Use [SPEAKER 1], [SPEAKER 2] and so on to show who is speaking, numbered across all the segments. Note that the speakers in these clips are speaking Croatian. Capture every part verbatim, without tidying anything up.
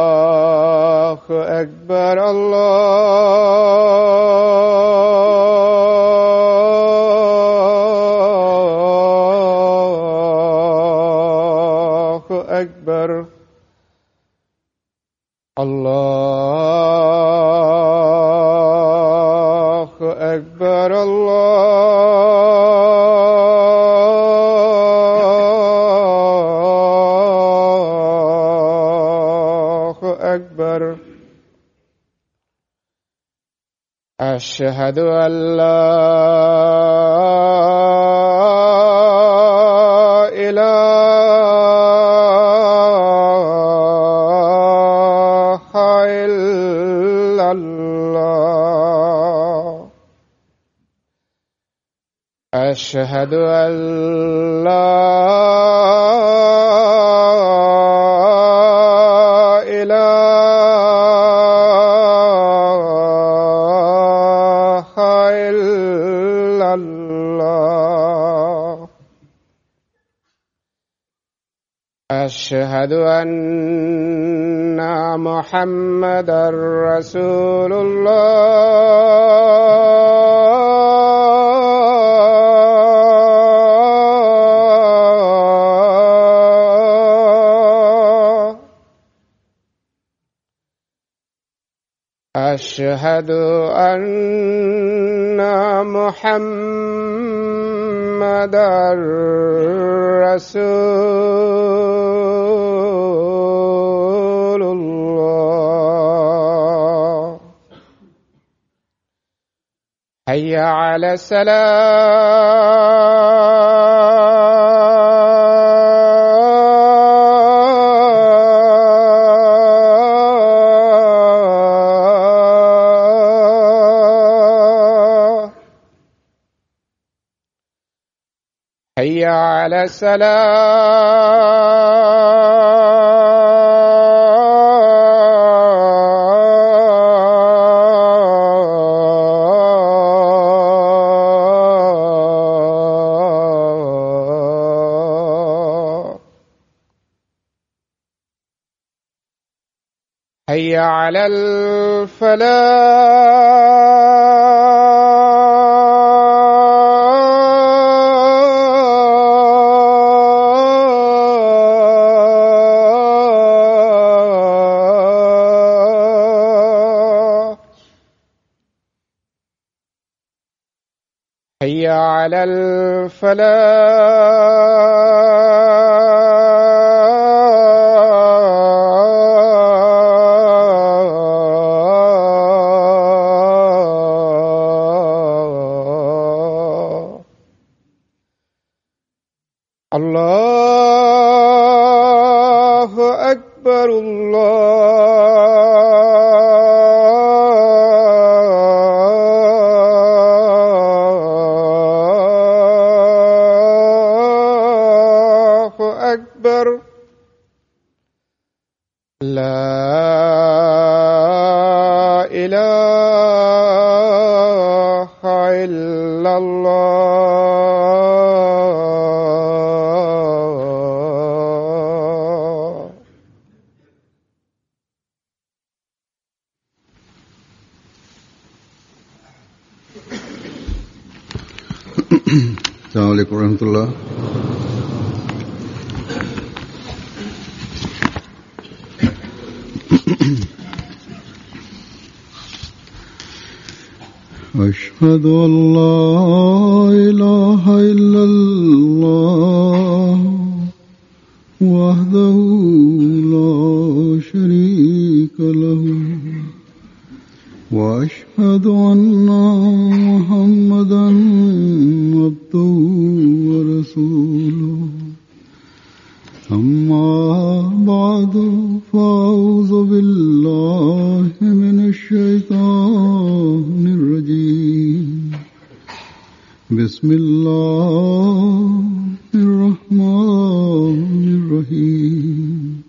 [SPEAKER 1] Allahu Akbar, Allahu Akbar, Allahu Akbar, Allahu Akbar. أشهد أن لا إله إلا الله أشهد أن لا أشهد أن محمدًا رسول الله أشهد أن محمدًا رسول الله حي على الصلاة حي على الصلاة حي على الفلاح حي على الفلاح الله أكبر الله أكبر لا إله إلا الله
[SPEAKER 2] Assalamualaikum warahmatullahi. أشهد أن لا إله إلا الله وحده لا شريك له وأشهد أن محمدًا عبده ورسوله أما بعد فأعوذ بالله من الشيطان الرجيم بسم الله الرحمن الرحيم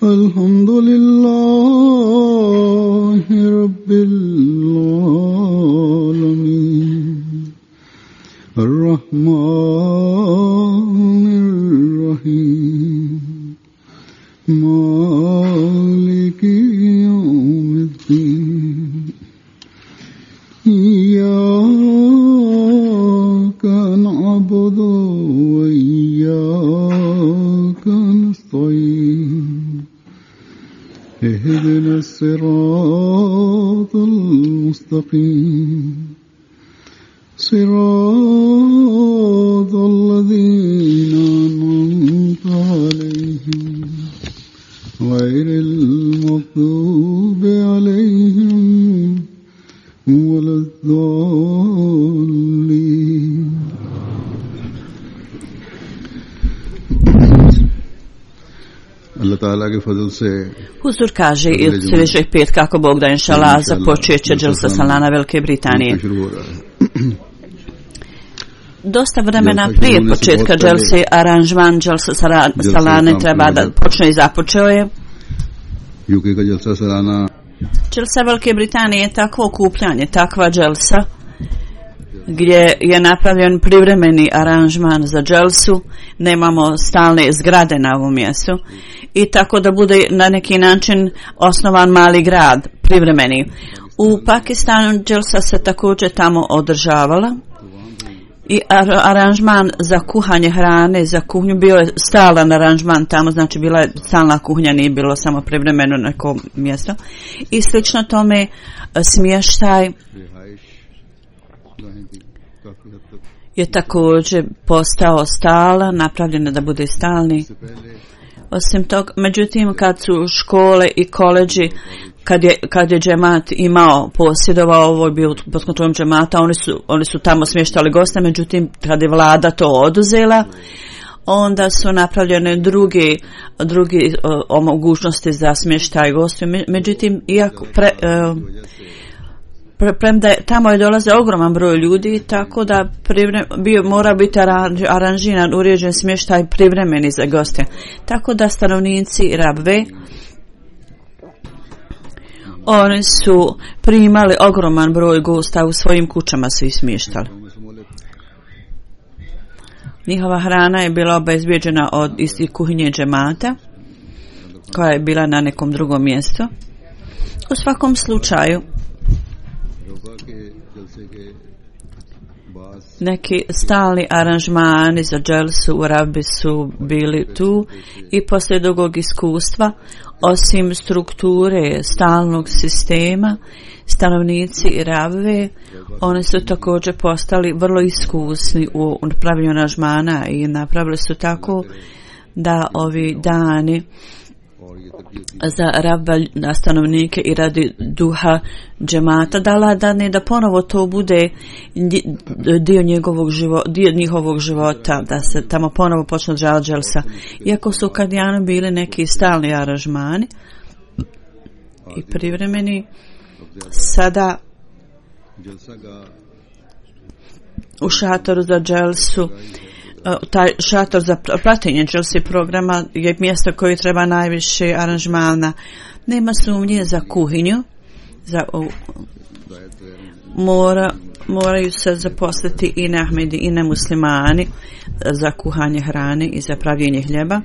[SPEAKER 2] الحمد لله رب العالمين الرحمن الرحيم مالك يوم الدين إياك نعبد وإياك نستعين اهدنا الصراط المستقيم صراط الذين أنعمت عليهم غير المغضوب عليهم ولا الضالين Allah Ta'ala ke fazl se
[SPEAKER 3] Huzur kaže i od sljedećeg pet kako Bog da inšala započet će dželsa salana Velike Britanije. Dosta vremena prije početka dželse aranžman dželsa salane treba da počne i započeo je. Dželsa Velike Britanije je takvo okupljanje, takva dželsa gdje je napravljen privremeni aranžman za dželsu, nemamo stalne zgrade na ovom mjestu i tako da bude na neki način osnovan mali grad, privremeni. U Pakistanu dželsa se također tamo održavala i ar- aranžman za kuhanje hrane, za kuhnju bio je stalan aranžman tamo, znači bila je stalna kuhnja, nije bilo samo privremeno neko mjesto i slično tome smještaj je također postao stalan, napravljeno da bude stalni. Osim toga, međutim, kad su škole i koleđi, kad je, kad je džemat imao, posjedovao, ovo je bio pod kontrolom džemata, oni su, oni su tamo smještali goste, međutim, kad je vlada to oduzela, onda su napravljene drugi, drugi o, o mogućnosti za smještaj gostiju. Međutim, iako pre, e, premda je, tamo je dolaze ogroman broj ljudi, tako da privre, bio, mora biti aranžiran, uređen smještaj privremeni za goste. Tako da stanovnici Rabve, oni su primali ogroman broj gosta, u svojim kućama su ih smještali. Njihova hrana je bila obezbijeđena od istih kuhinje džemata, koja je bila na nekom drugom mjestu. U svakom slučaju, neki stalni aranžmani za dželsu u Rabbi su bili tu i poslije dugog iskustva, osim strukture stalnog sistema, stanovnici Rabbe, oni su također postali vrlo iskusni u napravljanju aranžmana i napravili su tako da ovi dani za Rabba na stanovnike i radi duha džemata dala da ne da ponovo to bude dio njegovog života, dio njihovog života, da se tamo ponovo počne održavati dželsa. Iako su kadijanu bili neki stalni aranžmani i privremeni, sada u šatoru za dželsu, taj šator za praćenje dželsi programa je mjesto koje treba najviše aranžmana. Nema sumnje za kuhinju, za o, mora, moraju se zaposliti i na Ahmedi i na muslimani za kuhanje hrane i za pravljenje hljeba.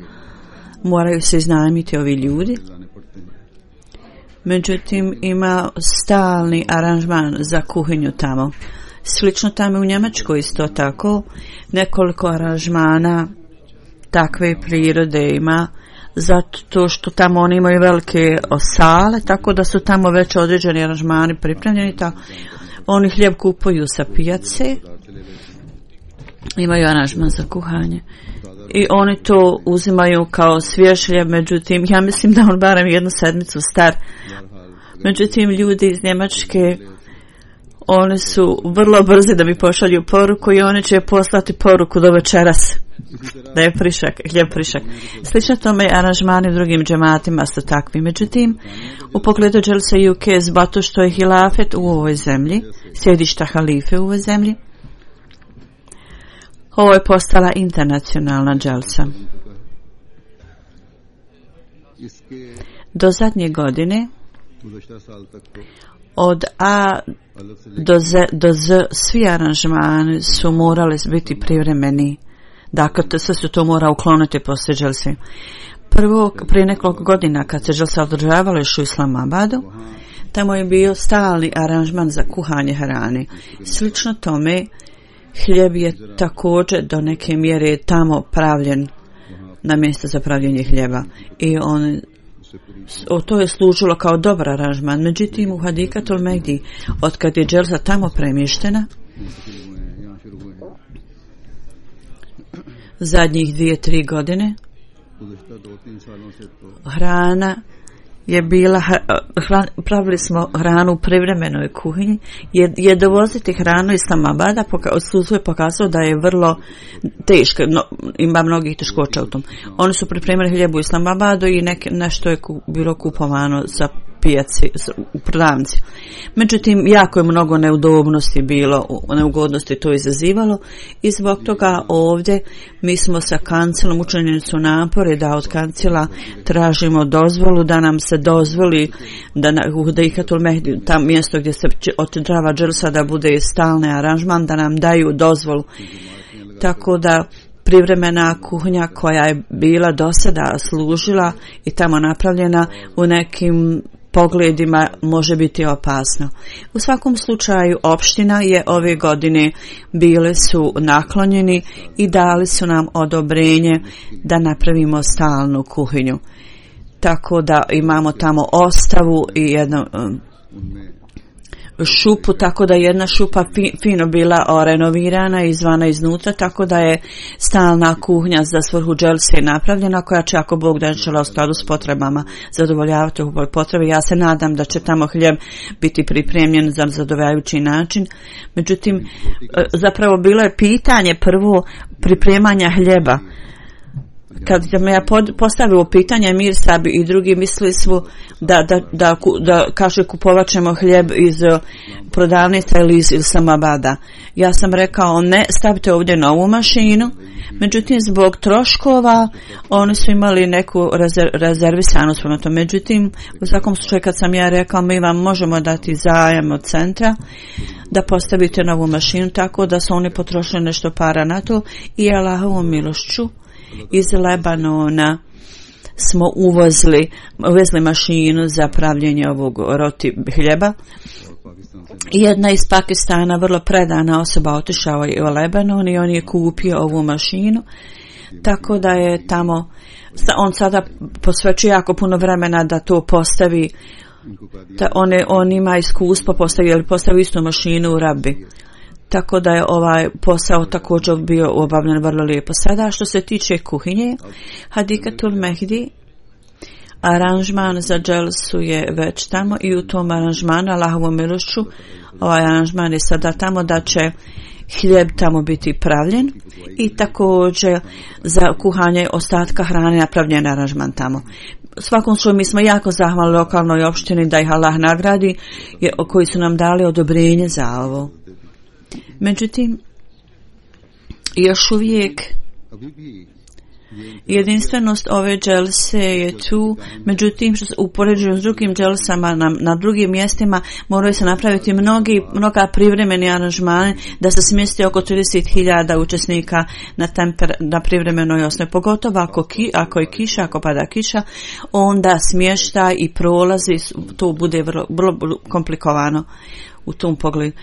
[SPEAKER 3] Moraju se iznajmiti ovi ljudi. Međutim, ima stalni aranžman za kuhinju tamo. Slično tamo u Njemačkoj isto tako, nekoliko aranžmana takve prirode ima, zato što tamo oni imaju velike sale, tako da su tamo već određeni aranžmani pripremljeni, tako oni hljeb kupuju sa pijace, imaju aranžman za kuhanje i oni to uzimaju kao svjež hljeb, međutim ja mislim da on barem jednu sedmicu star. Međutim ljudi iz Njemačke oni su vrlo brzi da mi pošalju poruku i oni će poslati poruku do večeras da je prišak, hljeb prišak. Slično tome aranžmani u drugim džematima su takvi. Međutim, u pogledu dželsa U K, zato što je hilafet u ovoj zemlji, sjedišta halife u ovoj zemlji, ovo je postala internacionalna dželsa. Do zadnje godine od A do Z, do Z svi aranžmani su morali biti privremeni. Dakle, sve su to mora ukloniti poslije dželsi. Prvo, prije nekoliko godina kad se dželsa održavala još u Islamabadu, tamo je bio stalni aranžman za kuhanje hrane. Slično tome, hljeb je također do neke mjere tamo pravljen na mjesto za pravljenje hljeba. I on O, to je služilo kao dobar aranžman. Međutim, u Hadikatul Mehdi, od kad je dželsa tamo premještena, zadnjih dvije, tri godine, hrana je bila, hran, pravili smo hranu u privremenoj kuhinji, je, je dovoziti hranu iz Islamabada, odsustvo je pokazalo da je vrlo teško, no, ima mnogih teškoća u tom. Oni su pripremili hljeb u Islamabadu i neke, nešto je ku, bilo kupovano za pijaci, u prodavnici. Međutim, jako je mnogo neudobnosti bilo, neugodnosti to izazivalo i zbog toga ovdje mi smo sa kancelom učinjeni su napore da od kancela tražimo dozvolu da nam se dozvoli da na u Hadikatul Mehdi, tam mjesto gdje se održava dželsa, da bude stalni aranžman, da nam daju dozvolu. Tako da privremena kuhinja koja je bila do sada služila i tamo napravljena u nekim pogledima može biti opasno. U svakom slučaju opština je ove godine bile su naklonjeni i dali su nam odobrenje da napravimo stalnu kuhinju. Tako da imamo tamo ostavu i jedno um, šupu, tako da jedna šupa fi, fino bila o, renovirana izvana iznutra, tako da je stalna kuhnja za svrhu dželse napravljena, koja će, ako Bog da u skladu s potrebama zadovoljavati ove potrebe. Ja se nadam da će tamo hljeb biti pripremljen za zadovoljavajući način. Međutim, zapravo bilo je pitanje prvo pripremanja hljeba. Kad me ja postavio pitanje, Mir Sabi i drugi mislili su da, da, da, da kaže kupovat ćemo hljeb iz prodavnica ili iz Islamabada. Ja sam rekao ne, stavite ovdje novu mašinu. Međutim, zbog troškova oni su imali neku rezerv, rezervisanu spremno to. Međutim, u svakom slučaju kad sam ja rekao mi vam možemo dati zajam od centra da postavite novu mašinu, tako da su oni potrošili nešto para na to i Allahovom milošću iz Lebanona smo uvozili, uvezli mašinu za pravljenje ovog roti hljeba. Jedna iz Pakistana, vrlo predana osoba, otišao je u Lebanon i on je kupio ovu mašinu, tako da je tamo, on sada posvećuje jako puno vremena da to postavi, da on, je, on ima iskustvo postavio, postavio istu mašinu u Rabi. Tako da je ovaj posao također bio obavljen vrlo lijepo. Sada što se tiče kuhinje, Hadikatul Mehdi, aranžman za dželsu je već tamo i u tom aranžmanu, Allahovom milošću, ovaj aranžman je sada tamo da će hljeb tamo biti pravljen i također za kuhanje ostatka hrane napravljen aranžman tamo. U svakom slučaju mi smo jako zahvalni lokalnoj opštini da ih Allah nagradi, koji su nam dali odobrenje za ovo. Međutim, još uvijek jedinstvenost ove dželse je tu, međutim što u poređenju s drugim dželsama na, na drugim mjestima moraju se napraviti mnogi, mnoga privremeni aranžmane da se smjesti oko trideset hiljada učesnika na, temper, na privremenoj osnovi, pogotovo ako, ki, ako je kiša, ako pada kiša, onda smještaj i prolazi, to bude vrlo, vrlo komplikovano u tom pogledu.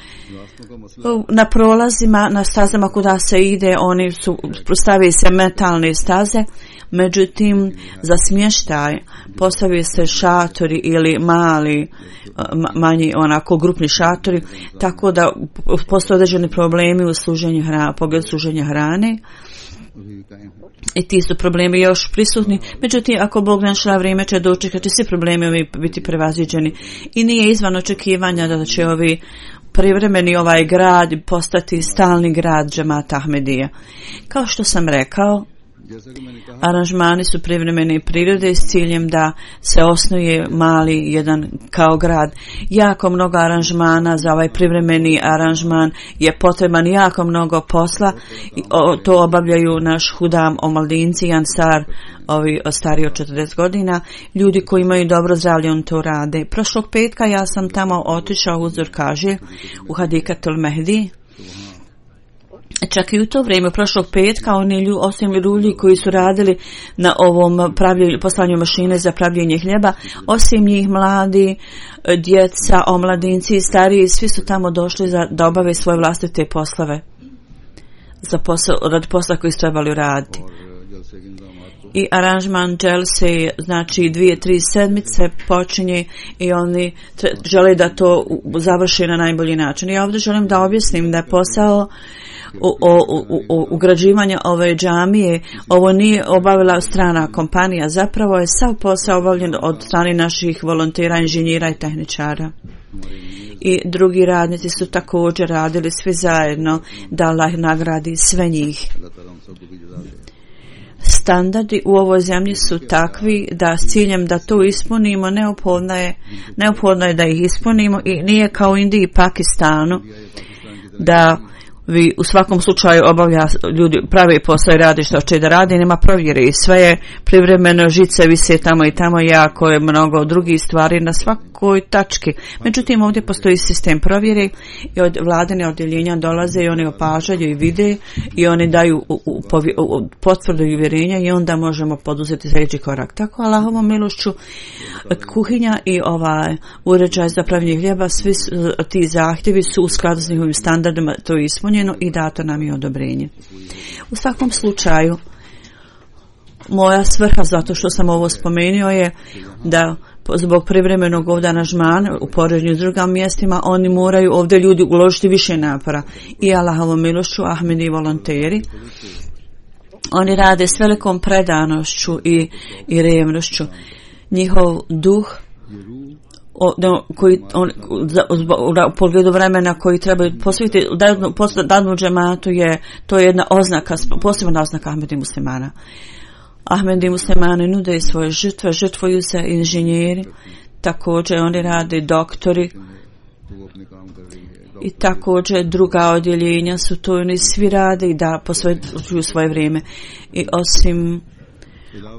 [SPEAKER 3] Na prolazima, na stazama kuda se ide, oni su, postavi se metalne staze, međutim za smještaj postavi se šatori ili mali, manji onako grupni šatori, tako da postoje određeni problemi u služenju hrane, pogledu služenja hrane.
[SPEAKER 2] अभी कायम है।
[SPEAKER 3] I ti su problemi još prisutni, međutim ako Bog našla vrijeme će doći kad će svi problemi ovi biti prevaziđeni. I nije izvan očekivanja da će ovi privremeni ovaj grad postati stalni grad džemata Ahmedija. Kao što sam rekao,
[SPEAKER 2] जैसा कि मैंने कहा
[SPEAKER 3] aranžmani su privremene prirode s ciljem da se osnuje mali jedan kao grad. Jako mnogo aranžmana za ovaj privremeni aranžman je potreban jako mnogo posla. I o, to obavljaju naš hudam omladinci i ansar, ovi stariji od četrdeset godina. Ljudi koji imaju dobro zdravlje, on to rade. Prošlog petka ja sam tamo otišao, Huzur kaže, u Hadikatul Mehdi. Čak i u to vrijeme, prošlog petka, oni lju, osim ljudi koji su radili na ovom pravljenju, poslanju mašine za pravljenje hljeba, osim njih mladi, djeca, omladinci i stariji, svi su tamo došli za, da obave svoje vlastite poslove. Za posao, radi posla koji su trebali raditi. I aranžman dželse, znači dvije, tri sedmice počinje i oni tre, žele da to završi na najbolji način. Ja ovdje želim da objasnim da je posao O, o, o, ugrađivanja ove džamije, ovo nije obavila strana kompanija, zapravo je sav posao obavljen od strane naših volontera, inženjera i tehničara. I drugi radnici su također radili svi zajedno, da Allah nagradi sve njih. Standardi u ovoj zemlji su takvi da s ciljem da to ispunimo neophodno je, neophodno je da ih ispunimo i nije kao u Indiji i Pakistanu da vi u svakom slučaju obavlja ljudi pravi posao i radi što će da radi, nema provjere i sve je privremeno, žice vise tamo i tamo, jako je mnogo drugih stvari na svakoj tački. Međutim, ovdje postoji sistem provjere i od vladine odjeljenja dolaze i oni opažaju i vide i oni daju u, u, u, potvrdu i uvjerenja i onda možemo poduzeti sljedeći korak. Tako, Allahovom milošću, kuhinja i ovaj uređaj za pravljenje hljeba, svi ti zahtjevi su u skladu s njihovim standardima, to je ispunjeno i dato nam je odobrenje. U svakom slučaju, moja svrha, zato što sam ovo spomenuo, je da zbog privremenog ovdje aranžmana u poređenju s drugim mjestima, oni moraju ovdje ljudi uložiti više napora. I Allahovom milošću, Ahmedi i volonteri, oni rade s velikom predanošću i, i revnošću. Njihov duh O, no, koji on, za, u pogledu vremena koji trebaju posvetiti dadnu, dadnu džematu je to je jedna oznaka, posebna oznaka Ahmedi muslimana. Ahmedi muslimani nude svoje žrtve, žrtvuju se inženjeri, također oni rade doktori i također druga odjeljenja su to, oni svi rade i da posvećuju svoje vrijeme. I osim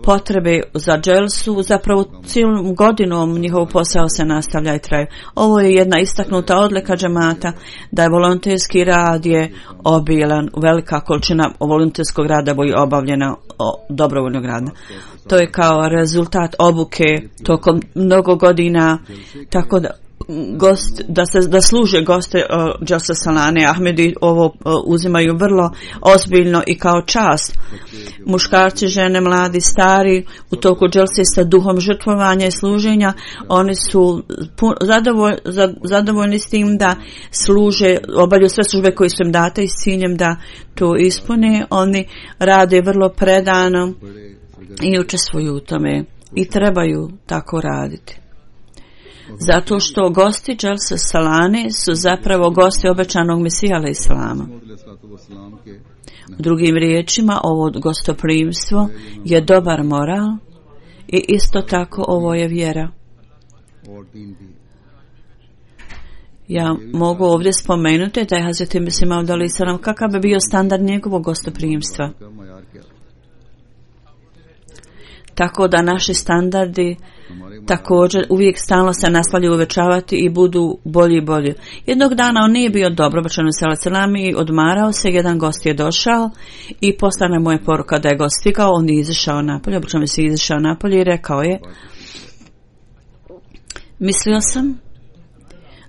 [SPEAKER 3] potrebe za dželsu, zapravo cijelom godinom njihov posao se nastavlja i traje. Ovo je jedna istaknuta odlika džemata, da je volonterski rad je obilan, velika količina volonterskog rada je obavljena dobrovoljnog rada. To je kao rezultat obuke tokom mnogo godina, tako da gost, da se da služe goste uh, Dželsa Salane Ahmedi ovo uh, uzimaju vrlo ozbiljno i kao čast. Muškarci, žene, mladi, stari u toku dželse sa duhom žrtvovanja i služenja, oni su pun, zadovolj, za, zadovoljni s tim da služe, obavljaju sve službe koje su im date i s ciljem da to ispune. Oni rade vrlo predano i učestvuju u tome i trebaju tako raditi. Zato što gosti Dželsa Salane su zapravo gosti obećanog Mesija Islama. Drugim riječima, ovo gostoprimstvo je dobar moral i isto tako ovo je vjera. Ja mogu ovdje spomenuti da je Hazreti Mesih Maud alejhi selam, kakav bi bio standard njegovog gostoprimstva. Tako da naši standardi također uvijek stalno se nastavljaju uvećavati i budu bolji i bolji. Jednog dana on nije bio dobro, obećano i odmarao se, jedan gost je došao i poslana mu je poruka da je gost stigao, on je izašao napolje, obećano se izašao napolje i rekao je: mislio sam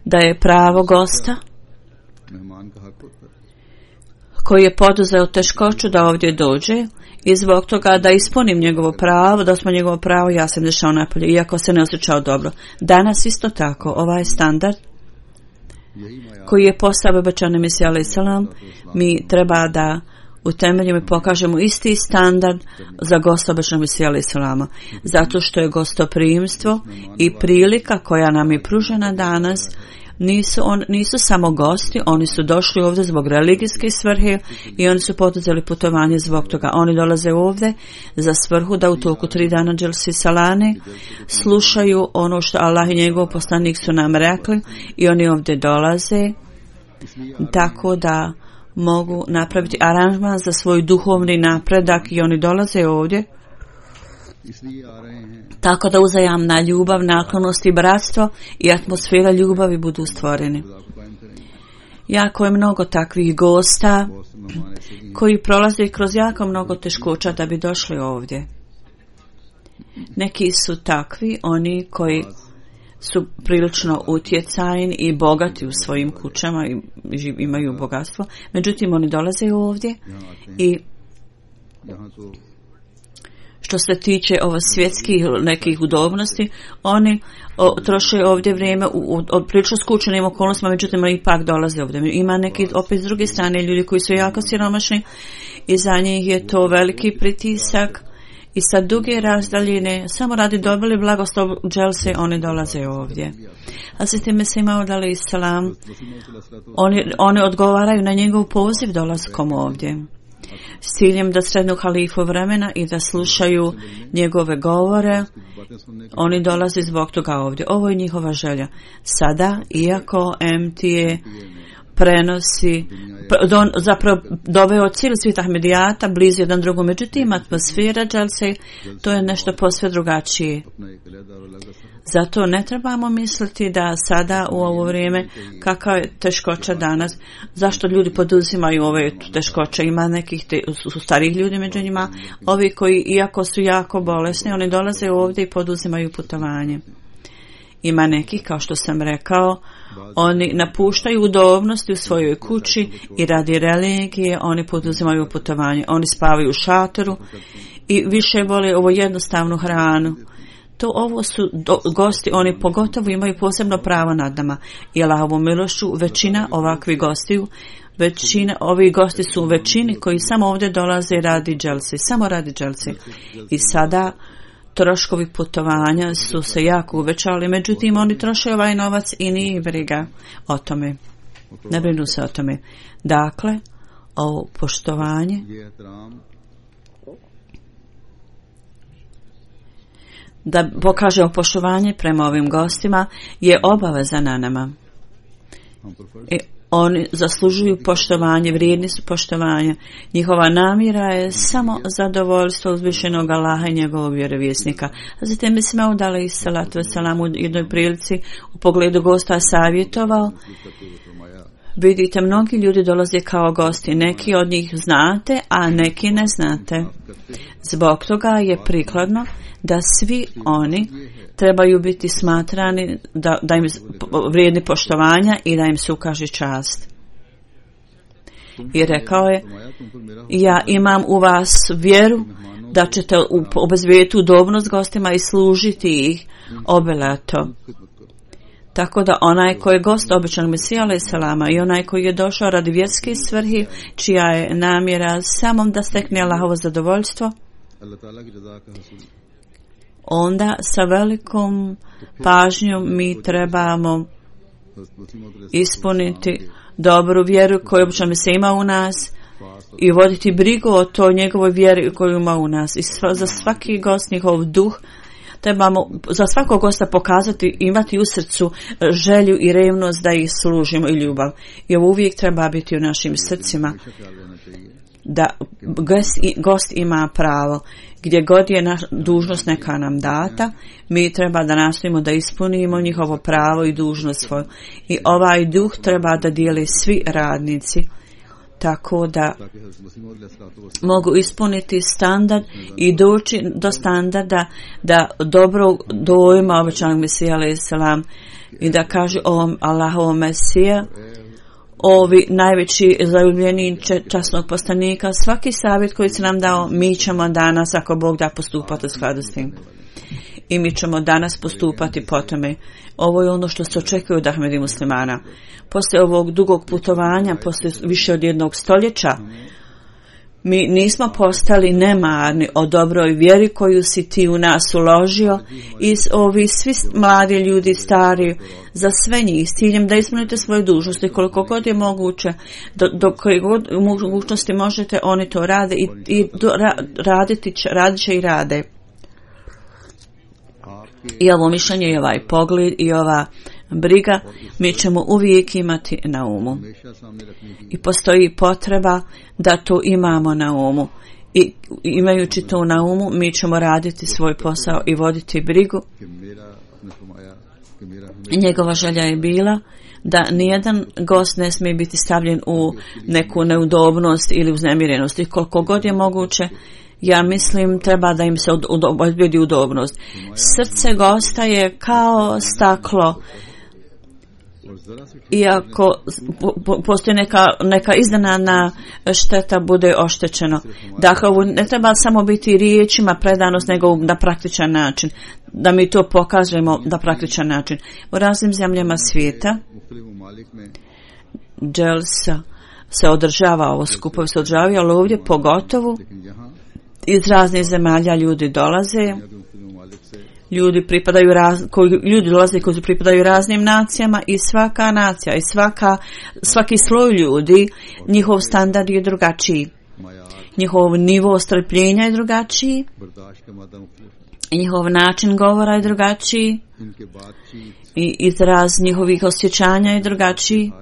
[SPEAKER 3] da je pravo gosta koji je poduzeo teškoću da ovdje dođe i zbog toga da ispunim njegovo pravo, da smo njegovo pravo, ja sam izašao napolje, iako se ne osjećao dobro. Danas isto tako, ovaj standard koji je postavio obećani Mesija alejhi selam, mi treba da utemeljimo i pokažemo isti standard za gosta običnog Mesija alejhi selama, zato što je gostoprimstvo i prilika koja nam je pružena danas nisu, on, nisu samo gosti, oni su došli ovdje zbog religijske svrhe i oni su poduzeli putovanje zbog toga. Oni dolaze ovdje za svrhu da u toku tri dana Dželsi Salane slušaju ono što Allah i njegov poslanik su nam rekli i oni ovdje dolaze tako da mogu napraviti aranžman za svoj duhovni napredak i oni dolaze ovdje tako da uzajamna ljubav, naklonost i bratstvo i atmosfera ljubavi budu stvoreni. Jako je mnogo takvih gosta koji prolaze kroz jako mnogo teškoća da bi došli ovdje. Neki su takvi, oni koji su prilično utjecajni i bogati u svojim kućama i imaju bogatstvo. Međutim, oni dolaze ovdje i što se tiče ovo svjetskih nekih udobnosti, oni o, troše ovdje vrijeme u, u, u prilično skučenim okolnostima, međutim oni ipak dolaze ovdje. Ima neki opet s druge strane ljudi koji su jako siromašni i za njih je to veliki pritisak i sa duge razdaljine, samo radi dobili blagoslov Dželse, oni dolaze ovdje. A se time se imao dali salam, oni, oni odgovaraju na njegov poziv dolaskom ovdje s ciljem da srednu halifu vremena i da slušaju njegove govore. Oni dolaze zbog toga ovdje. Ovo je njihova želja. Sada, iako M T A prenosi, don, zapravo doveo cijeli svijet Ahmedijata blizu jedan drugom, međutim atmosfera Dželse, to je nešto posve drugačije. Zato ne trebamo misliti da sada u ovo vrijeme kakva je teškoća danas, zašto ljudi poduzimaju ove teškoće. Ima nekih te, su starih ljudi među njima, ovi koji iako su jako bolesni, oni dolaze ovdje i poduzimaju putovanje. Ima nekih, kao što sam rekao, oni napuštaju udobnosti u svojoj kući i radi religije oni poduzimaju putovanje. Oni spavaju u šatoru i više vole ovo jednostavnu hranu. To ovo su do, gosti, oni pogotovo imaju posebno pravo nad nama. I Allahovom milošću većina ovakvih gostiju, većina, ovi gosti su u većini koji samo ovdje dolaze radi Dželsi, samo radi Dželsi. I sada troškovi putovanja su se jako uvećali, međutim oni troše ovaj novac i nije briga o tome. Ne brinu se o tome. Dakle, ovo poštovanje da pokažemo poštovanje prema ovim gostima je obaveza na nama. I oni zaslužuju poštovanje, vrijedni su poštovanja. Njihova namjera je samo zadovoljstvo uzvišenog Allaha i njegovog vjerovjesnika. Zatim mi smo udali i salatu wasalam u jednoj prilici u pogledu gosta savjetovao. Vidite, mnogi ljudi dolaze kao gosti. Neki od njih znate, a neki ne znate. Zbog toga je prikladno da svi oni trebaju biti smatrani da, da im vrijedni poštovanja i da im se ukaže čast. I rekao je, ja imam u vas vjeru da ćete obezbijediti udobnost gostima i služiti ih obelato. Tako da onaj koji je gost običnog Mesija alejhi selama i onaj koji je došao radi vjerske svrhe, čija je namjera samo da stekne Allahovo zadovoljstvo, onda sa velikom pažnjom mi trebamo ispuniti dobru vjeru koju obično se ima u nas i voditi brigu o toj njegovoj vjeri koju ima u nas. I sva, za svaki gost njihov duh trebamo za svakog gosta pokazati, imati u srcu želju i revnost da ih služimo i ljubav. I ovo uvijek treba biti u našim srcima. Da gost, gost ima pravo. Gdje god je naš dužnost neka nam data, mi treba da nastojimo da ispunimo njihovo pravo i dužnost svoju. I ovaj duh treba da dijeli svi radnici, tako da mogu ispuniti standard i doći do standarda da dobro dojma običanog Mesija alejhi selam i da kaže ovom Allahovom Mesija, ovi najveći zaljubljeni časnog poslanika, svaki savjet koji se nam dao, mi ćemo danas, ako Bog da, postupati u skladu s tim. I mi ćemo danas postupati po tome. Ovo je ono što se očekuje od Ahmedi muslimana. Poslije ovog dugog putovanja, poslije više od jednog stoljeća, Mi nismo postali nemarni o dobroj vjeri koju si ti u nas uložio i ovi svi mladi ljudi, stari, za sve njih, s ciljem da ispunite svoje dužnosti koliko god je moguće, do, do koje god mogućnosti možete, oni to rade i, i do, ra, raditi će, radit će i rade. I ovo mišljenje i ovaj pogled i ova briga mi ćemo uvijek imati na umu. I postoji potreba da to imamo na umu. I imajući to na umu, mi ćemo raditi svoj posao i voditi brigu. I njegova želja je bila da nijedan gost ne smije biti stavljen u neku neudobnost ili uznemirenost. I koliko god je moguće, ja mislim treba da im se obezbedi udobnost. Srce gosta je kao staklo. Iako postoji neka, neka iznenadna šteta, bude oštećeno. Dakle, ovo ne treba samo biti riječima predanost, nego na praktičan način. Da mi to pokažemo na praktičan način. U raznim zemljama svijeta dželsa se održava, ovo skupovi se održavaju, ali ovdje pogotovo iz raznih zemalja ljudi dolaze. Ljudi pripadaju raz, koji, ljudi dolaze koji pripadaju raznim nacijama i svaka nacija i svaka, svaki sloj ljudi, njihov standard je drugačiji. Njihov nivo strpljenja je drugačiji. Njihov način govora je drugačiji. I izraz njihovih osjećanja je drugačiji.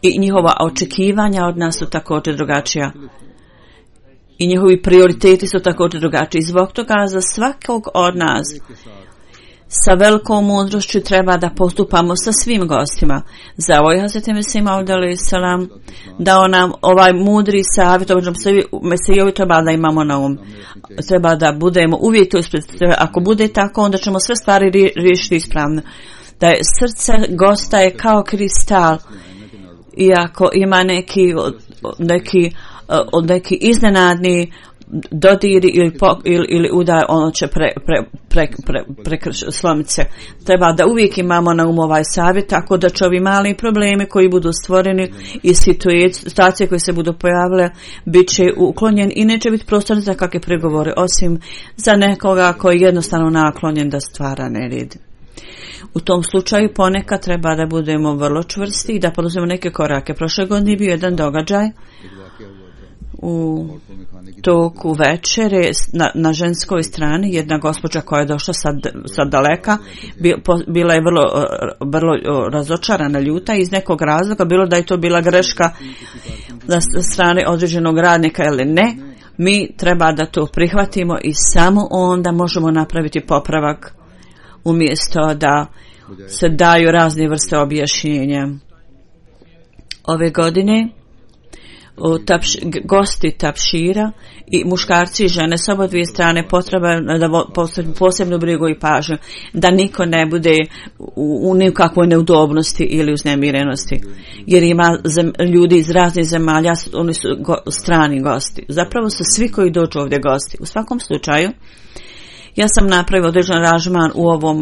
[SPEAKER 3] I njihova očekivanja od nas su također drugačija. I njihovi prioriteti su također drugačiji. Zbog toga za svakog od nas sa velikom mudrošću treba da postupamo sa svim gostima. Za ovo je Hazreti Mesih Maud alejhi selam dao nam ovaj mudri savjet, ovaj Mesihovi treba da imamo na um. Treba da budemo uvijek to ispred. Ako bude tako, onda ćemo sve stvari riješiti ispravno. Da je srce gosta je kao kristal. Iako ima neki neki od neki iznenadni dodiri ili, po, ili, ili udar, ono će pre, pre, pre, pre, pre, slomiti se. Treba da uvijek imamo na umu ovaj savjet, tako da će ovi mali problemi koji budu stvoreni i situacije koje se budu pojavile bit će uklonjen i neće biti prostor za kakve pregovore, osim za nekoga koji je jednostavno naklonjen da stvara nered. U tom slučaju ponekad treba da budemo vrlo čvrsti i da poduzmemo neke korake. Prošle godine je bio jedan događaj u toku večere na, na ženskoj strani, jedna gospođa koja je došla sad, sad daleka, bila je vrlo, vrlo razočarana, ljuta iz nekog razloga, bilo da je to bila greška na strane određenog radnika ili ne. Mi treba da to prihvatimo i samo onda možemo napraviti popravak umjesto da se daju razne vrste objašnjenja. Ove godine Tapš, gosti tapšira i muškarci i žene s oba dvije strane potreba da posebnu brigu i pažnju, da niko ne bude u, u nikakvoj neudobnosti ili uznemirenosti, jer ima zem, ljudi iz raznih zemalja, oni su go, strani gosti. Zapravo su svi koji dođu ovdje gosti. U svakom slučaju ja sam napravio određen aranžman u ovom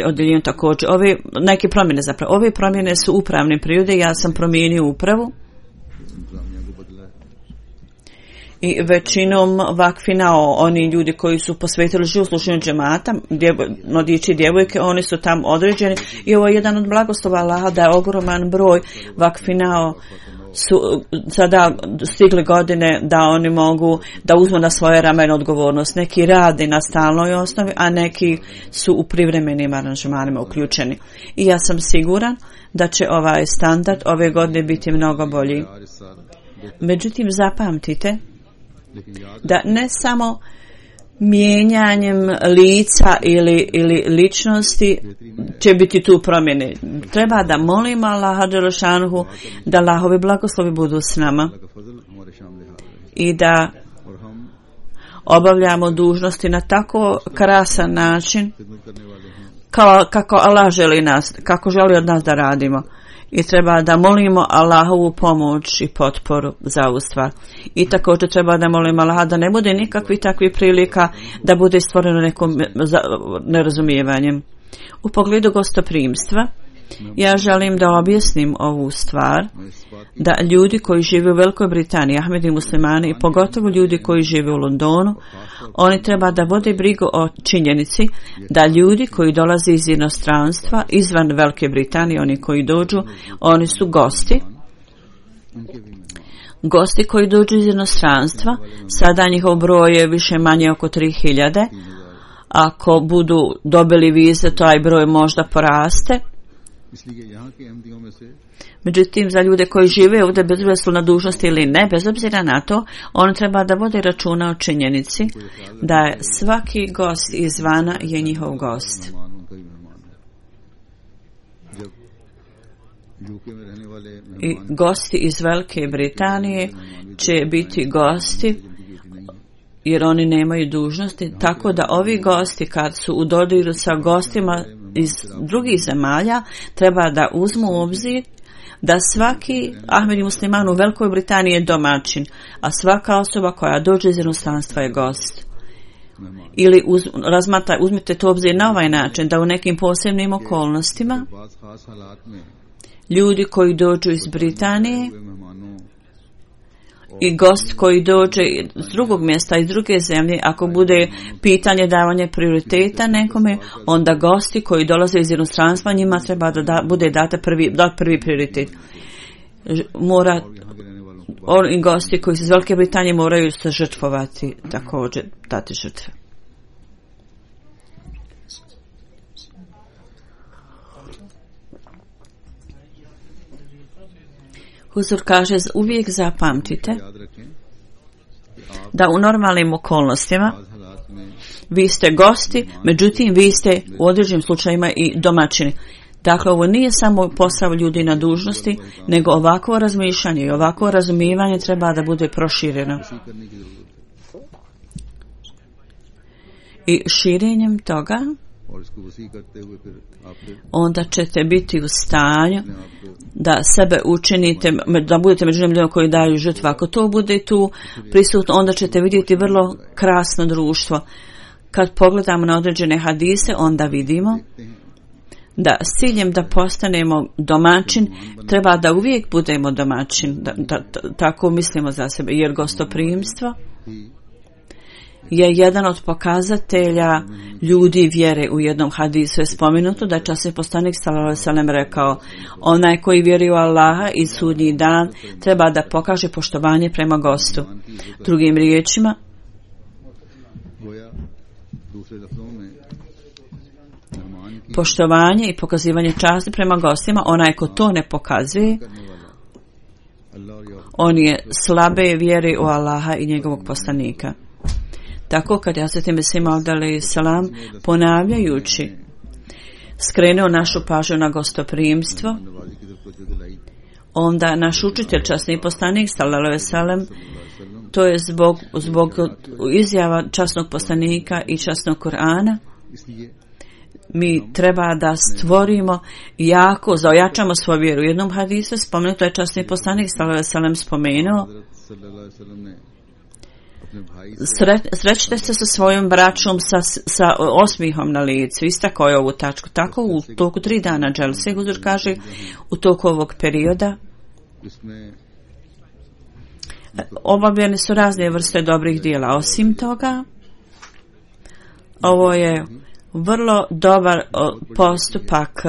[SPEAKER 3] odjeljenju također. Ove neke promjene zapravo. Ove promjene su upravne prirode. Ja sam promijenio upravu. I većinom vakfina, oni ljudi koji su posvetili život slušanju džemata, mladići i djevojke, oni su tamo određeni. I ovo je jedan od blagoslova Allaha da je ogroman broj vakfinao su sada stigli godine da oni mogu da uzmu na svoje ramene odgovornost. Neki radi na stalnoj osnovi, a neki su u privremenim aranžmanima uključeni. I ja sam siguran da će ovaj standard ove godine biti mnogo bolji. Međutim, zapamtite da ne samo mijenjanjem lica ili, ili ličnosti će biti tu promjene. Treba da molimo Allaha dželešanuhu da Allahovi blagoslovi budu s nama i da obavljamo dužnosti na tako krasan način kao, kako Allah želi nas, kako želi od nas da radimo. I treba da molimo Allahovu pomoć i potporu za ovu stvar. I također treba da molimo Allaha da ne bude nikakvih takvih prilika da bude stvoreno nekom nerazumijevanjem. U pogledu gostoprimstva, Ja želim da objasnim ovu stvar, da ljudi koji žive u Velikoj Britaniji, Ahmedi muslimani i pogotovo ljudi koji žive u Londonu, oni treba da vode brigu o činjenici da ljudi koji dolaze iz inostranstva, izvan Velike Britanije, oni koji dođu, oni su gosti. Gosti koji dođu iz inostranstva, sada njihov broj je više manje oko tri hiljade. Ako budu dobili vize, taj broj možda poraste. Međutim, za ljude koji žive ovdje, bez obzira su na dužnosti ili ne, bez obzira na to, on treba da vode računa o činjenici da je svaki gost izvana je njihov gost. I gosti iz Velike Britanije će biti gosti jer oni nemaju dužnosti, tako da ovi gosti kad su u dodiru sa gostima iz drugih zemalja treba da uzmu u obzir da svaki Ahmedi musliman u Velikoj Britaniji je domaćin, a svaka osoba koja dođe iz inostranstva je gost. Ili uz, razmata, uzmite to obzir na ovaj način, da u nekim posebnim okolnostima ljudi koji dođu iz Britanije i gost koji dođe iz drugog mjesta, iz druge zemlje, ako bude pitanje davanja prioriteta nekome, onda gosti koji dolaze iz inostranstva, njima treba da, da bude date prvi, dat prvi prioritet. Mora, oni gosti koji su iz Velike Britanije moraju se žrtvovati, također dati žrtve. Huzur kaže, uvijek zapamtite da u normalnim okolnostima vi ste gosti, međutim vi ste u određenim slučajima i domaćini. Dakle, ovo nije samo posao ljudi na dužnosti, nego ovakvo razmišljanje i ovakvo razumijevanje treba da bude prošireno. I širenjem toga onda ćete biti u stanju da sebe učinite, da budete među ljudima koji daju žrtvu. Ako to bude tu prisutno, onda ćete vidjeti vrlo krasno društvo. Kad pogledamo na određene hadise, onda vidimo da s ciljem da postanemo domaćin, treba da uvijek budemo domaćin, da, da, da, tako mislimo za sebe, jer gostoprimstvo je jedan od pokazatelja ljudi vjere. U jednom hadisu je spomenuto da je časni poslanik sallallahu alejhi ve sellem rekao, onaj koji vjeruje u Allaha i sudnji dan treba da pokaže poštovanje prema gostu. Drugim riječima, poštovanje i pokazivanje časti prema gostima, onaj ko to ne pokazuje, on je slabe vjere u Allaha i njegovog poslanika. Tako kad Hazreti Mesih Maud alejhi selam ponavljajući skrenuo našu pažnju na gostoprimstvo, onda naš učitelj, časni poslanik sallallahu alejhi ve sellem, to je zbog, zbog izjava časnog poslanika i časnog Kur'ana, mi treba da stvorimo jako, zaojačamo svoju vjeru. U jednom hadisu spomenuto je časni poslanik sallallahu alejhi ve sellem spomenuo, Sre, srećite se sa svojom braćom sa, sa osmihom na licu. Istakao je ovu tačku. Tako u toku tri dana dželse, Huzur kaže, u toku ovog perioda obavljene su razne vrste dobrih dijela. Osim toga, ovo je vrlo dobar postupak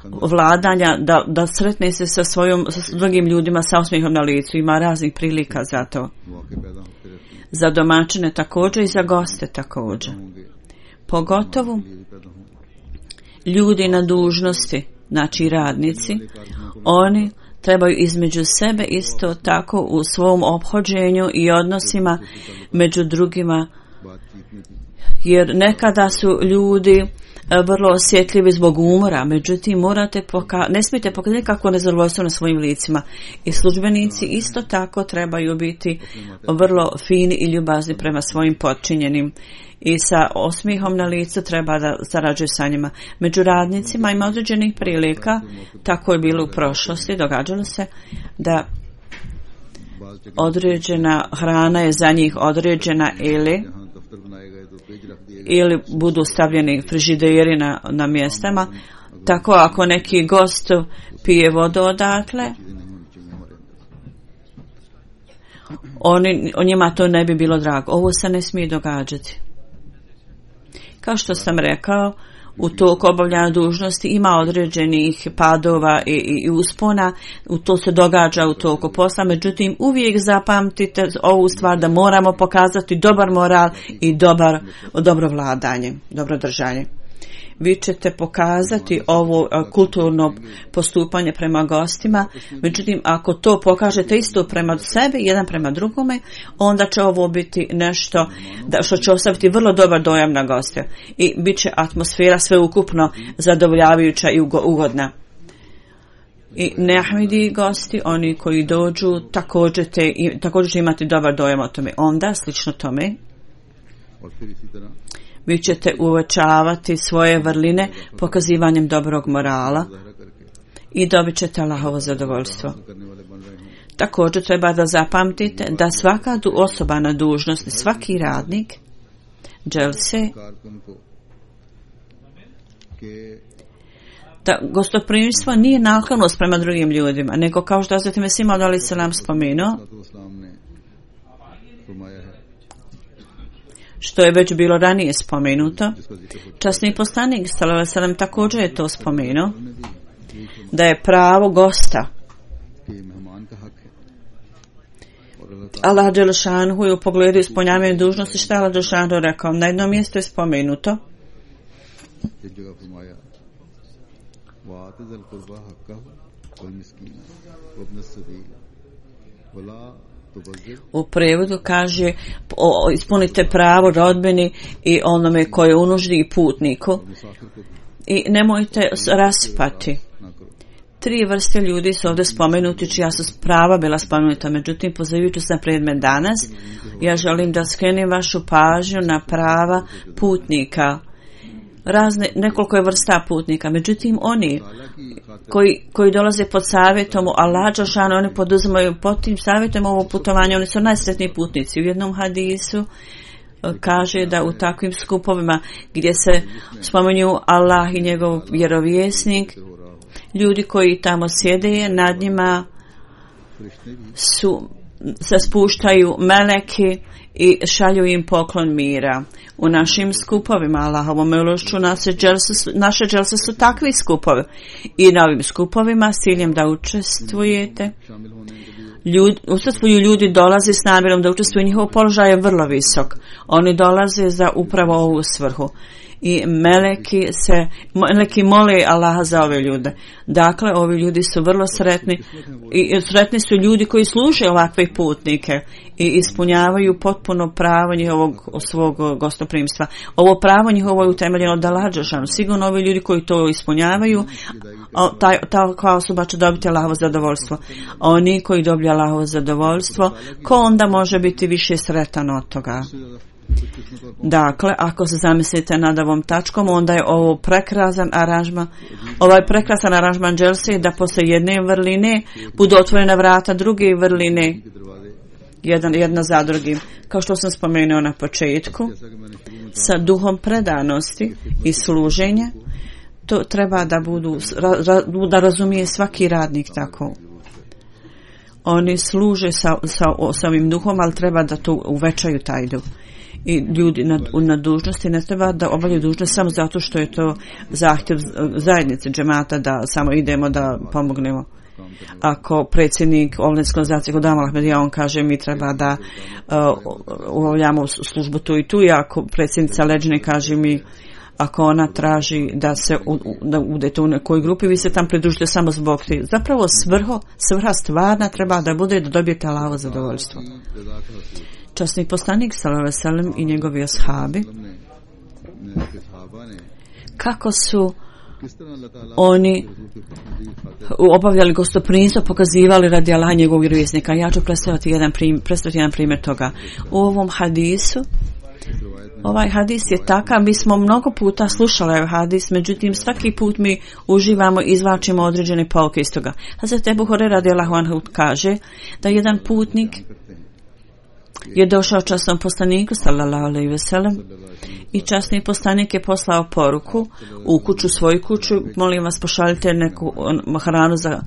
[SPEAKER 3] vladanja da, da sretne se sa svojom, sa drugim ljudima sa osmihom na licu. Ima raznih prilika za to. Za domaćine također i za goste također. Pogotovo ljudi na dužnosti, znači radnici, oni trebaju između sebe isto tako u svom ophođenju i odnosima među drugima, jer nekada su ljudi vrlo osjetljivi zbog umora, međutim morate poka- ne smijete pokazati kako nezadovoljstvo na svojim licima. I službenici isto tako trebaju biti vrlo fini i ljubazni prema svojim podčinjenim. I sa osmihom na licu treba da sarađuju sa njima. Među radnicima ima određenih prilika, tako je bilo u prošlosti, događalo se da određena hrana je za njih određena ili ili budu stavljeni frižideri na, na mjestama Tako ako neki gost pije vodu odatle, oni, o njima to ne bi bilo drago. Ovo se ne smije događati. Kao što sam rekao, u toku obavljanja dužnosti ima određenih padova i, i, i uspona, u to se događa u toku posla, međutim uvijek zapamtite ovu stvar da moramo pokazati dobar moral i dobar, dobro vladanje, dobro držanje. Vi ćete pokazati ovo kulturno postupanje prema gostima, međutim ako to pokažete isto prema sebi, jedan prema drugome, onda će ovo biti nešto da, što će ostaviti vrlo dobar dojam na goste i bit će atmosfera sveukupno zadovoljavajuća i ugodna. I neahmidi gosti, oni koji dođu, također, te, također će imati dobar dojam o tome. Onda, slično tome, vi ćete uvećavati svoje vrline pokazivanjem dobrog morala i dobit ćete Allahovo zadovoljstvo. Također treba da zapamtite da svaka osoba na dužnosti, svaki radnik dželse, da gostoprimstvo nije naklonost prema drugim ljudima, nego kao što Hazreti Mesih Maud alejhi selam spomenuo, što je već bilo ranije spomenuto, časni poslanik sallallahu alejhi ve sellem također je to spomenuo, da je pravo gosta. Allah dželešanhu je u pogledu ispunjavanja dužnosti šta Allah dželešanhu rekao. Na jednom mjestu je spomenuto u prevodu kaže o, ispunite pravo rodbini i onome koje je u nuždi i putniku i nemojte raspati. Tri vrste ljudi su ovdje spomenuti čija su prava bila spomenuta, međutim pozivajući se na predmet danas ja želim da skrenem vašu pažnju na prava putnika. Razne, nekoliko je vrsta putnika, međutim oni koji, koji dolaze pod savjetom Allah dželešanu, oni poduzimaju pod tim savjetom ovo putovanje, oni su najsretniji putnici. U jednom hadisu kaže da u takvim skupovima gdje se spominju Allah i njegov vjerovjesnik, ljudi koji tamo sjede, nad njima su, se spuštaju meleki i šalju im poklon mira. U našim skupovima Allahovom milošću naše dželse, naše dželse su takvi skupovi i na ovim skupovima s ciljem da učestvujete Ljud, učestvuju ljudi dolaze s namjerom da učestvuju, njihov položaj je vrlo visok, oni dolaze za upravo ovu svrhu i meleki se meleki mole Allaha za ove ljude. Dakle, ovi ljudi su vrlo sretni i sretni su ljudi koji služe ovakve putnike i ispunjavaju potpuno pravo njihovog svog gostoprimstva. Ovo pravo njihovo je utemeljeno od Allaha dželešanu. Sigurno ovi ljudi koji to ispunjavaju, ta, ta kao osoba će dobiti Allahovo zadovoljstvo. Oni koji dobiju Allahovo zadovoljstvo, ko onda može biti više sretan od toga? Dakle, ako se zamislite nad ovom tačkom, onda je ovo prekrasan aranžman, ovaj prekrasan aranžman dželse da posle jedne vrline budu otvorena vrata druge vrline, jedan, jedna za drugim. Kao što sam spomenuo na početku, sa duhom predanosti i služenja, to treba da budu, da razumije svaki radnik tako. Oni služe sa, sa, sa ovim duhom, ali treba da to uvećaju taj duh. I ljudi na, na dužnosti ne treba da obavljaju dužnost samo zato što je to zahtjev zajednice džemata da samo idemo da pomognemo. Ako predsjednik Ovledske organizacije kod Amal Ahmedija, on kaže mi treba da uh, obavljamo službu tu i tu, i ako predsjednica Leđine kaže mi ako ona traži da se u, da udete u nekoj grupi, vi se tam pridružite samo zbog te. Zapravo svrho, svrha stvarna treba da bude da dobijete Allahovo zadovoljstvo. Časni poslanik sallallahu alejhi ve sellem i njegovi ashabi, kako su oni obavljali gostoprimstvo, pokazivali radi Allaha njegovog vjerovjesnika. Ja ću predstaviti jedan primjer, predstaviti jedan primjer toga. U ovom hadisu, ovaj hadis je takav, mi smo mnogo puta slušali ovaj hadis, međutim svaki put mi uživamo i izvlačimo određene pouke iz toga. Hazret Ebu Hurajra radijallahu anhu kaže da jedan putnik je došao časnom poslaniku sallallahu alejhi ve sellem i časni poslanik je poslao poruku u kuću, svoju kuću, molim vas pošaljite neku hranu za,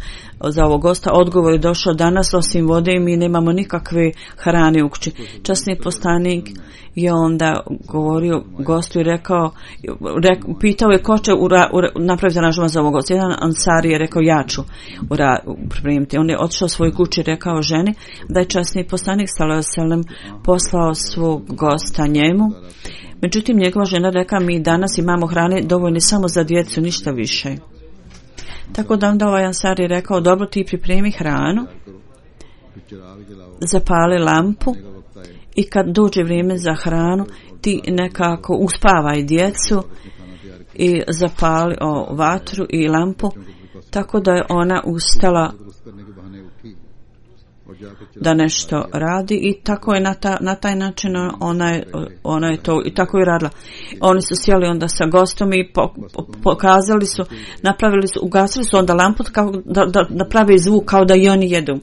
[SPEAKER 3] za ovog gosta. Odgovor je došao danas, osim vode i mi nemamo nikakve hrane u kući. Časni poslanik je onda govorio gostu i rekao, rek, pitao je ko će ura, ura, napraviti aranžman za ovog gosta. Jedan ansari je rekao ja ću ura, pripremiti. On je otišao svoj kući i rekao ženi da je časni poslanik sallallahu alejhi ve sellem poslao svog gosta njemu. Međutim, njegova žena rekla mi danas imamo hrane dovoljne samo za djecu, ništa više. Tako da onda ovaj ansari je rekao dobro ti pripremi hranu, zapali lampu i kad dođe vrijeme za hranu ti nekako uspavaj djecu i zapali o, vatru i lampu, tako da je ona ustala da nešto radi i tako je na, ta, na taj način ona je, ona je to i tako je radila. Oni su sjeli onda sa gostom i po, po, pokazali su, napravili su, ugasili su onda lampu kao da, da, da pravi zvuk kao da i oni jedu.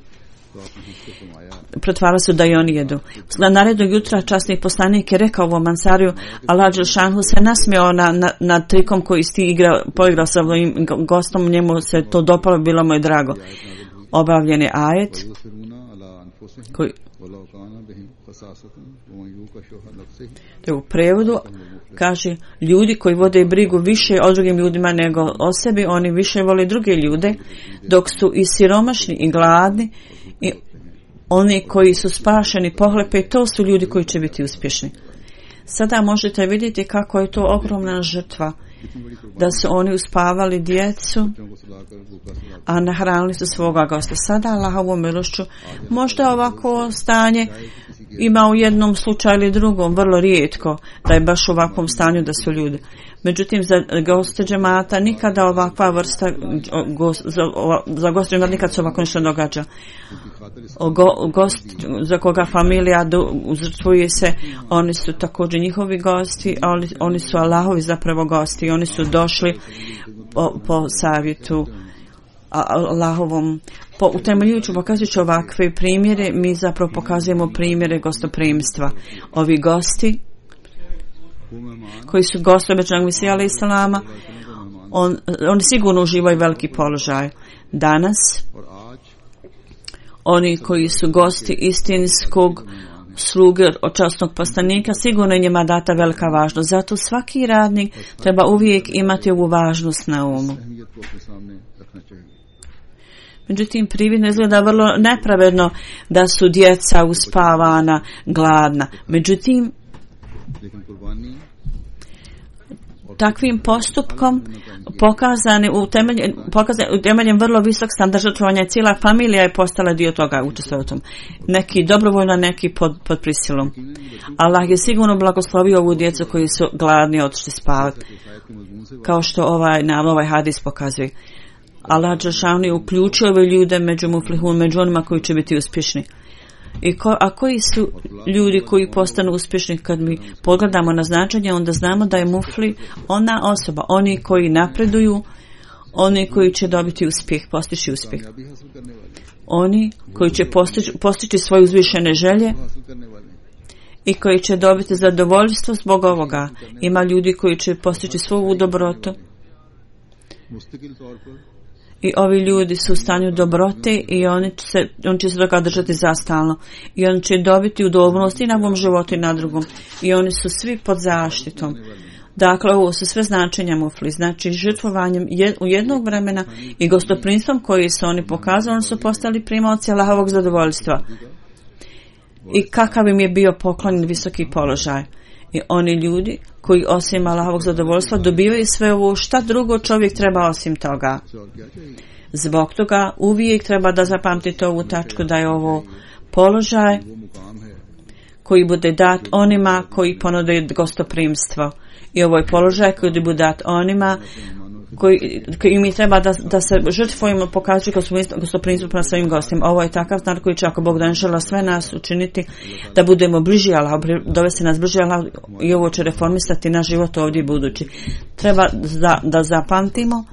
[SPEAKER 3] Pretvarali su da i oni jedu. Narednog jutra časni poslanik je rekao ovom ansariju, Allah dželšanhu se nasmijao na, na, na trikom koji si igrao, poigrao sa ovim gostom, njemu se to dopalo, bilo mu je drago. Obavljen je ajet koji u prevodu kaže ljudi koji vode brigu više o drugim ljudima nego o sebi, oni više vole druge ljude, dok su i siromašni i gladni i oni koji su spašeni pohlepe, to su ljudi koji će biti uspješni. Sada možete vidjeti kako je to ogromna žrtva da su oni uspavali djecu, a nahranili su svoga gosta. Sada Allahovom milošću možda ovako stanje ima u jednom slučaju ili drugom, vrlo rijetko da je baš u ovakvom stanju da su ljudi. Međutim, za goste džemata nikada ovakva vrsta go, za, za goste džemata nikad se ovako nešto događa. O go, gost za koga familija uzrtvuje se, oni su također njihovi gosti, a oni, oni su Allahovi zapravo gosti i oni su došli po, po savjetu Allahovom. Po utemeljujući pokazujući ovakve primjere, mi zapravo pokazujemo primjere gostoprimstva. Ovi gosti koji su gosti obećanog Mesija alejhi selama, on, oni sigurno uživaju veliki položaj. Danas oni koji su gosti istinskog sluge od časnog poslanika, sigurno je njima data velika važnost. Zato svaki radnik treba uvijek imati ovu važnost na umu. Međutim, prividno izgleda vrlo nepravedno da su djeca uspavana, gladna. Međutim, takvim postupkom pokazani utemeljen, pokazani utemeljen vrlo visok standard žrtvovanja i cijela familija je postala dio toga, učestvovao u tom. Neki dobrovoljno, neki pod, pod prisilom. Allah je sigurno blagoslovio ovu djecu koji su gladni otišli spavati. Kao što ovaj, nam ovaj hadis pokazuje. Allah dželešanu je uključio ove ljude među muflihun, među onima koji će biti uspješni. I ko, a koji su ljudi koji postanu uspješni? Kad mi pogledamo na značenje, onda znamo da je mufli ona osoba, oni koji napreduju, oni koji će dobiti uspjeh, postići uspjeh. Oni koji će postići, postići svoje uzvišene želje i koji će dobiti zadovoljstvo zbog ovoga. Ima ljudi koji će postići svoju dobrotu. I ovi ljudi su u stanju dobrote i oni će se, on će se toga držati zastalno. I oni će dobiti udobnost i na ovom životu i na drugom. I oni su svi pod zaštitom. Dakle, ovo su sve značenja mufli. Znači, žrtvovanjem jed, u jednog vremena i gostoprimstvom koji su oni pokazali, oni su postali primaoci Allahovog zadovoljstva. I kakav im je bio poklonjen visoki položaj. I oni ljudi koji osim Allahovog zadovoljstva dobivaju sve ovo, šta drugo čovjek treba osim toga. Zbog toga uvijek treba da zapamtite ovu tačku da je ovo položaj koji bude dat onima koji ponude gostoprimstvo. I ovo je položaj koji bude dat onima koji, koji mi treba da, da se žrtvujemo, pokazuju gostoprimstvo prema svojim gostima. Ovo je takav znak koji će, ako Bog da inšala, sve nas učiniti da budemo bliži Allah, dovesti nas bliži Allah i ovo će reformisati naš život ovdje budući. Treba da, da zapamtimo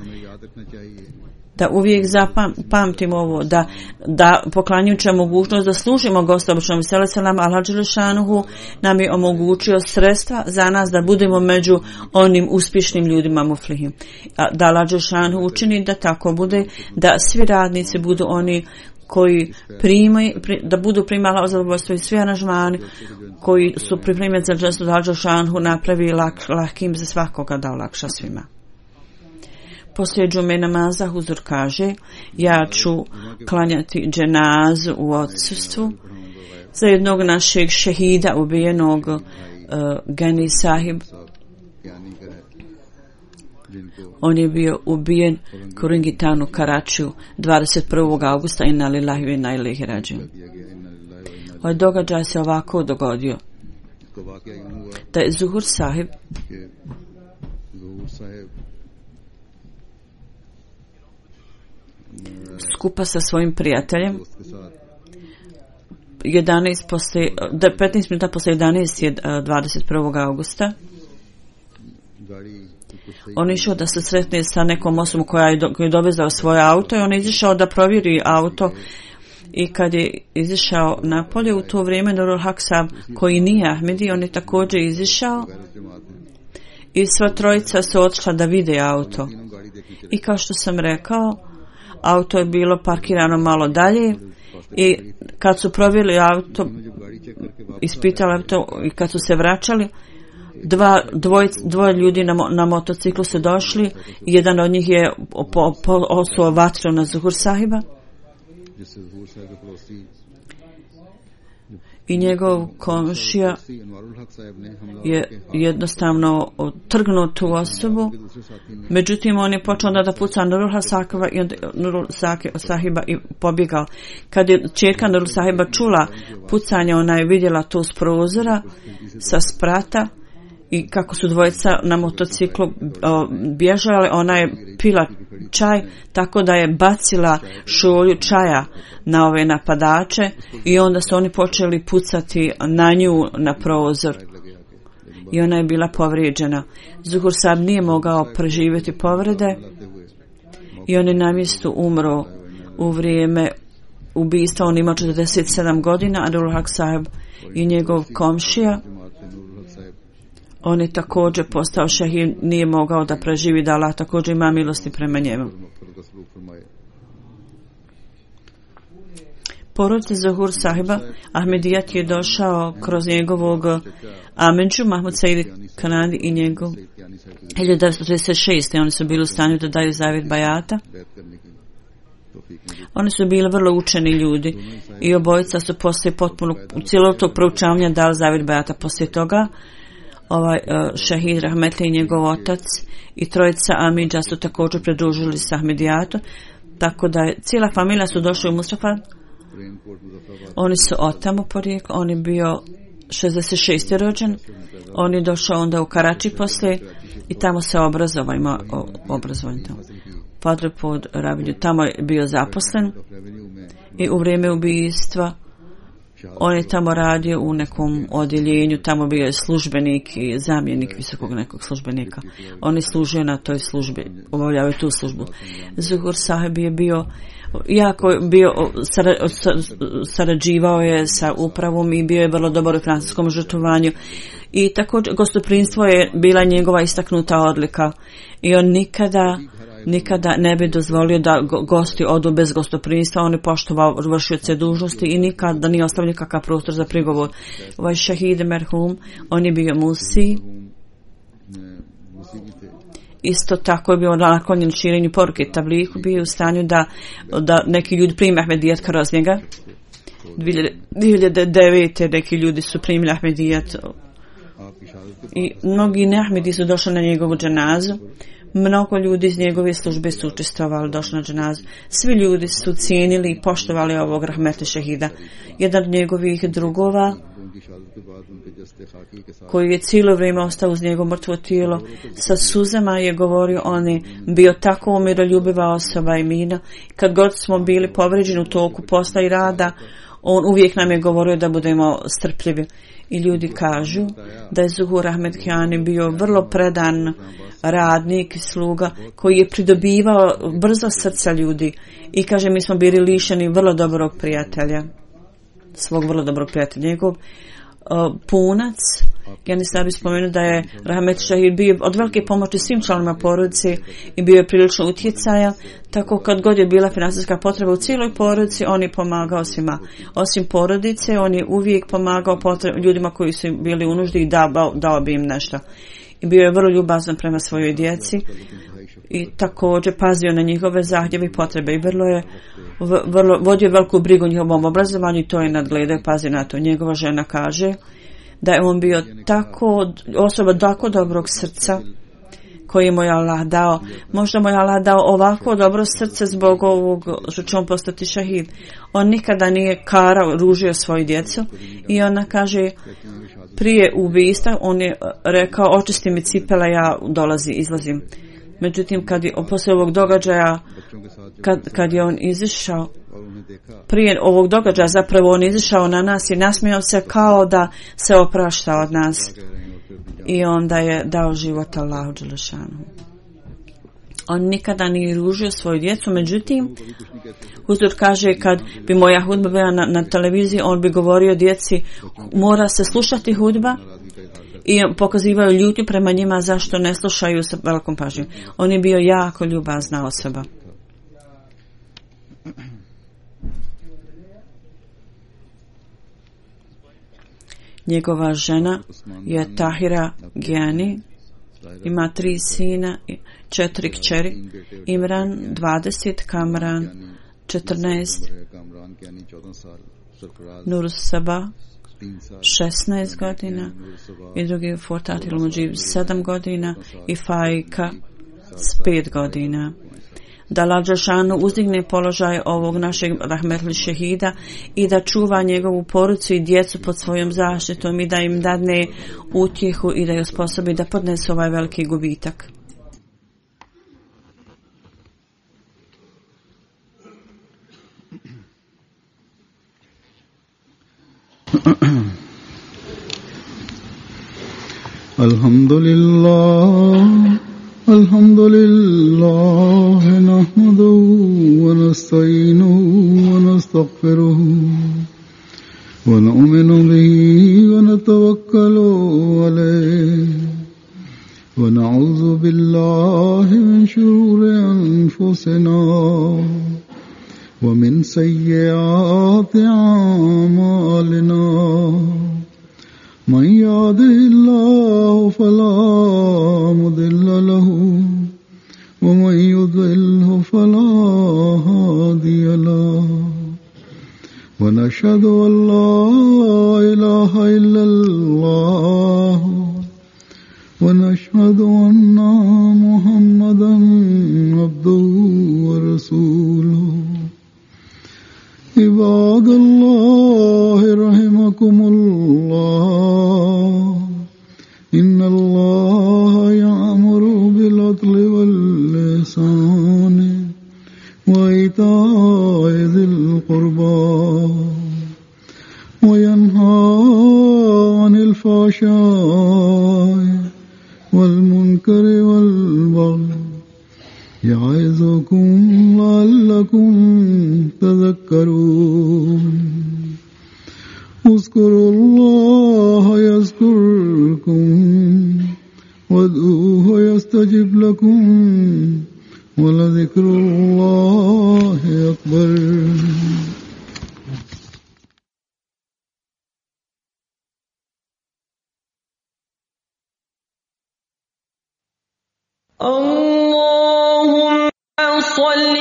[SPEAKER 3] da uvijek zapamtimo ovo, da, da poklanjujući mogućnost da služimo gosta običnom seleselam, Allah dželešanuhu nam je omogućio sredstva za nas da budemo među onim uspješnim ljudima muflihim. Da Allah dželešanuhu učini da tako bude, da svi radnici budu oni koji primaju, da budu primali zadovoljstvo i svi aranžmani koji su pripremljeni za džestu da Allah dželešanuhu napravi lak, lakim za svakoga, da olakša svima. Poslije džume namaza huzur kaže, ja ću klanjati dženazu u odsustvu za jednog našeg šehida ubijenog uh, Gani Sahib. On je bio ubijen u Ringitanu, Karačiju, dvadeset prvog augusta inna lillahi wa inna ilaihi rađiun. Ovaj događaj se ovako dogodio. Da je Zuhur Sahib skupa sa svojim prijateljem jedanaest poslije, petnaest minuta poslije jedanaest je dvadeset prvog augusta. On je išao da se sretne sa nekom osobom koja je, do, koja je dovezao svoje auto i on je izišao da provjeri auto i kad je izišao napolje u to vrijeme Nurul Hak Sahib koji nije Ahmedi, on je također izišao i sva trojica su otišla da vide auto i kao što sam rekao, auto je bilo parkirano malo dalje i kad su provjerili auto, ispitali auto i kad su se vraćali, dva, dvoj, dvoje ljudi na, na motociklu su došli, jedan od njih je po, po, osuo vatru na Zuhur Sahiba i njegov komšija je jednostavno trgnuo tu osobu. Međutim, on je počeo onda da puca Nurul Sahiba i, onda, Nurul Sahiba i pobjegao. Kad je čerka Nurul Sahiba čula pucanje, ona je vidjela to s prozora, sa sprata i kako su dvojica na motociklu o, bježali, ona je pila čaj tako da je bacila šolju čaja na ove napadače i onda su oni počeli pucati na nju na prozor i ona je bila povrijeđena. Zuhur Sahib nije mogao preživjeti povrede i on je na mjestu umro u vrijeme ubistva. On ima četrdeset sedam godina, a Nurul Hak Sahib i njegov komšija, on je također postao šehid, nije mogao da preživi, da Allah također ima milosti prema njemu. Porodica Zuhur Sahiba, Ahmedijat je došao kroz njegovog Amidžu, Mahmud Said Kanadi i njegov hiljadu devetsto trideset šeste. Oni su bili u stanju da daju zavjet bajata. Oni su bili vrlo učeni ljudi i obojica su poslije potpuno u cijelog tog proučavanja dali zavjet bajata. Poslije toga ovaj uh, šehid Rahmetli i njegov otac i trojica Amidža su također pridružili se Ahmedijatom, tako da je cijela familija su došli u Mustafa. Oni su otamo porijeklo, on je bio šezdeset šeste rođen, on je došao onda u Karači poslije i tamo se obrazovao, ima obrazovanje tamo. Padre pod Rabinju, tamo je bio zaposlen i u vrijeme ubijstva on je tamo radio u nekom odjeljenju, tamo bio je službenik i zamjenik visokog nekog službenika. On je služio na toj službi, obavljao je tu službu. Zuhur Sahib je bio jako bio sarađivao je sa upravom i bio je vrlo dobar u francuskom žrtvovanju i također gostoprinstvo je bila njegova istaknuta odlika i on nikada nikada ne bi dozvolio da gosti odu bez gostoprinstva. On je poštovao vršioce dužnosti i nikada nije ostavio nikakav prostor za prigovor. Ovaj šehid merhum, on je bio musi, isto tako je bio naklonjen širenju poruke tabliku, bio u stanju da, da neki ljudi prime Ahmedijat kroz njega. dvije hiljade devete neki ljudi su primili Ahmedijat i mnogi neahmedi su došli na njegovu dženazu. Mnogo ljudi iz njegove službe su učestvovali, došli na dženazu. Svi ljudi su cijenili i poštovali ovog rahmetli šehida. Jedan od njegovih drugova, koji je cijelo vrijeme ostao uz njegovo mrtvo tijelo, sa suzama je govorio, on je bio tako umiroljubiva osoba i mina. Kad god smo bili povrijeđeni u toku posla i rada, On uvijek nam je govorio da budemo strpljivi. I ljudi kažu da je Zuhur Ahmed Kiani bio vrlo predan radnik i sluga koji je pridobivao brzo srca ljudi. I kaže, mi smo bili lišeni vrlo dobrog prijatelja, svog vrlo dobrog prijatelja. Njegov uh, punac, ja ne sam bi spomenuo da je Rahmet Šahid bio od velike pomoći svim članovima porodice i bio je prilično utjecaja, tako kad god je bila financijska potreba u cijeloj porodici, on je pomagao svima. Osim porodice, on je uvijek pomagao potreb, ljudima koji su bili u nuždi i dao, dao bi im nešto. I bio je vrlo ljubazan prema svojoj djeci i također pazio na njihove zahtjeve i potrebe i vrlo je vrlo, vodio veliku brigu o njihovom obrazovanju i to je nadgledao i pazio na to. Njegova žena kaže da je on bio tako, osoba tako dobrog srca koji mu je Allah dao. Možda mu je Allah dao ovako dobro srce zbog ovog što će on postati šahid. On nikada nije karao, ružio svoju djecu i ona kaže prije ubistva on je rekao očisti mi cipela, ja dolazim, izlazim. Međutim, kad je, posle ovog događaja, kad, kad je on izišao, prije ovog događaja zapravo on izišao na nas i nasmijao se kao da se oprašta od nas. I onda je dao život Allahu dželešanu. On nikada nije ružio svoju djecu, međutim, Huzur kaže kad bi moja hudba bila na, na televiziji, on bi govorio djeci, mora se slušati hudba, i pokazivaju ljutnju prema njima zašto ne slušaju sa velikom pažnjom. On je bio jako ljubazna osoba. Njegova žena je Tahira Giani, ima tri sina, četiri kćeri, Imran dvadeset, Kamran četrnaest, Nur Saba šesnaest godina i drugi Fortatil Mujib sedam godina i Fajka s pet godina. Da Allah dželešanu uzdigne položaj ovog našeg rahmetli šehida i da čuva njegovu porodicu i djecu pod svojom zaštitom i da im dadne utjehu i da je osposobi da podnesu ovaj veliki gubitak.
[SPEAKER 2] Alhamdulillah, alhamdulillah, nahmaduhu wa nasta'inuhu wa nastaghfiruhu wa nu'minu bihi wa natawakkalu alayhi wa na'udhu billahi min shururi anfusina wa min sayyiati a'malina. من يهده الله فلا مضل له ومن يضلل فلا هادي له ونشهد أن لا إله إلا الله ونشهد أن محمدا عبده ورسوله. عباد الله رحمكم الله إن الله يأمر بالعدل والإحسان وإيتاء ذي القربى وينهى عن الفحشاء والمنكر والبغي يعظكم لعلكم تذكرون. اذكروا الله يذكركم وادعوه يستجب لكم ولذكر الله أكبر.
[SPEAKER 4] اللهم صل